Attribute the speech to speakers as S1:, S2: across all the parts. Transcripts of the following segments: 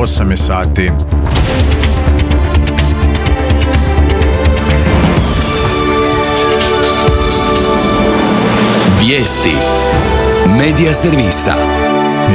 S1: 8 je sati.
S2: Vijesti Medija servisa.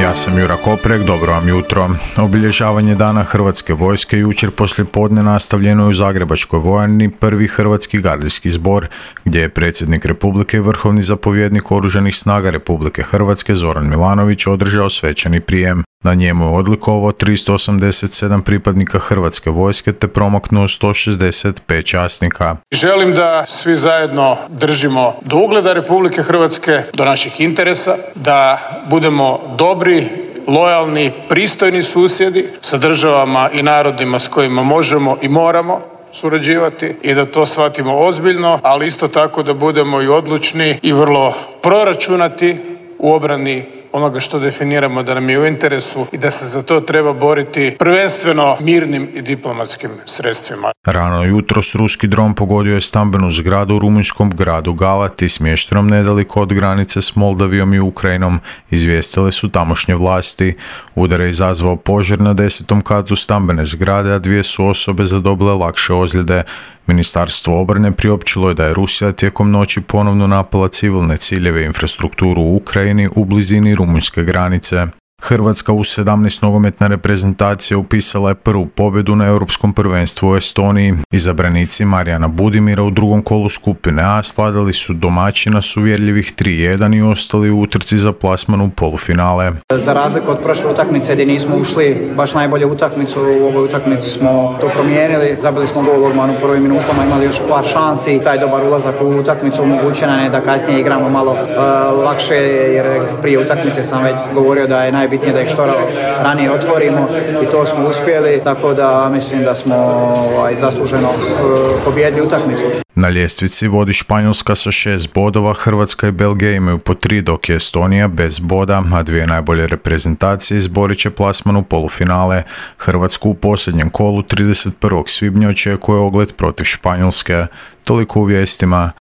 S1: Ja sam Jura Koprek, dobro vam jutro. Obilježavanje Dana Hrvatske vojske jučer poslijepodne nastavljeno je u Zagrebačkoj vojarni prvi Hrvatski gardijski zbor, gdje je predsjednik Republike i vrhovni zapovjednik Oružanih snaga Republike Hrvatske Zoran Milanović održao svečani prijem. Na njemu je odlikovao 387 pripadnika Hrvatske vojske te promaknuo 165 časnika.
S3: Želim da svi zajedno držimo do ugleda Republike Hrvatske, do naših interesa, da budemo dobri, lojalni, pristojni susjedi sa državama i narodima s kojima možemo i moramo surađivati i da to shvatimo ozbiljno, ali isto tako da budemo i odlučni i vrlo proračunati u obrani onoga što definiramo da nam je u interesu i da se za to treba boriti prvenstveno mirnim i diplomatskim sredstvima.
S1: Rano jutros ruski dron pogodio je stambenu zgradu u rumunjskom gradu Galati, smještenom nedaleko od granice s Moldavijom i Ukrajinom, izvijestile su tamošnje vlasti. Udar je izazvao požar na 10. katu stambene zgrade, a 2 su osobe zadobile lakše ozljede. Ministarstvo obrane priopćilo je da je Rusija tijekom noći ponovno napala civilne ciljeve i infrastrukturu u Ukrajini u blizini rumunjske granice. Hrvatska U17 nogometna reprezentacija upisala je prvu pobjedu na Europskom prvenstvu u Estoniji. Izabranici Marijana Budimira u drugom kolu skupine A svladali su domaćina s uvjerljivih 3-1 i ostali u utrci za plasman u polufinale.
S4: Za razliku od prošle utakmice gdje nismo ušli baš najbolje utakmicu, u ovoj utakmici smo to promijenili. Zabili smo gol odmah u prvim minutama, imali još par šansi. Taj dobar ulazak u utakmicu omogućio nam je da kasnije igramo malo lakše, jer prije utakmice sam već govorio da je najbitnije da ih što ranije otvorimo i to smo uspjeli, tako da mislim da smo zasluženo pobijedili utakmicu.
S1: Na ljestvici vodi Španjolska sa 6 bodova, Hrvatska i Belgija imaju po 3, dok je Estonija bez boda, a 2 najbolje reprezentacije izborit će plasman u polufinale. Hrvatsku u posljednjem kolu 31. svibnja očekuje ogled protiv Španjolske. Toliko u vijestima.